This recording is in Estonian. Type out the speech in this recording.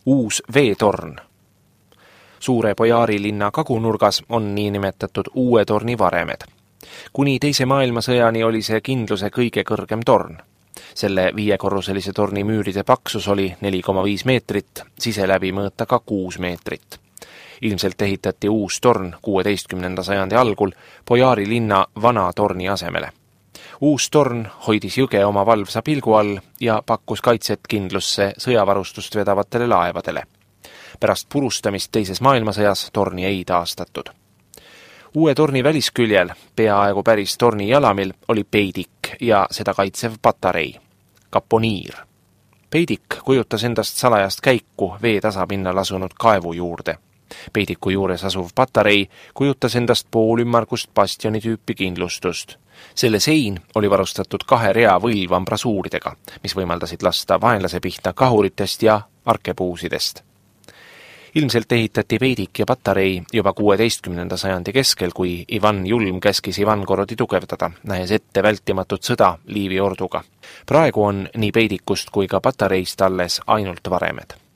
Uus veetorn. Suure Bojaari linna kagunurgas on niinimetatud uue torni varemed. Kuni teise maailmasõjani oli see kindluse kõige kõrgem torn. Selle 5-korruselise torni müüride paksus oli 4,5 meetrit, siseläbi mõõta ka 6 meetrit. Ilmselt ehitati uus torn 16. sajandi algul Bojaari linna vana torni asemele. Uus torn hoidis jõge oma valvsa pilgu all ja pakkus kaitset kindlusse sõjavarustust vedavatele laevadele. Pärast purustamist teises maailmasõjas torni ei taastatud. Uue torni välisküljel, peaaegu päris torni jalamil, oli peidik ja seda kaitsev patarei, kaponiir. Peidik kujutas endast salajast käiku vee tasapinnal asunud kaevu juurde. Peidiku juures asuv patarei kujutas endast poolümmargust bastioni tüüpi kindlustust. Selle sein oli varustatud 2 rea võlvambrasuuridega, mis võimaldasid lasta vaenlase pihta kahuritest ja arkepuusidest. Ilmselt ehitati peidik ja patarei juba 16. sajandi keskel, kui Ivan Julm käskis Ivangorodi tugevdada, nähes ette vältimatut sõda Liivi orduga. Praegu on nii peidikust kui ka patareist alles ainult varemed.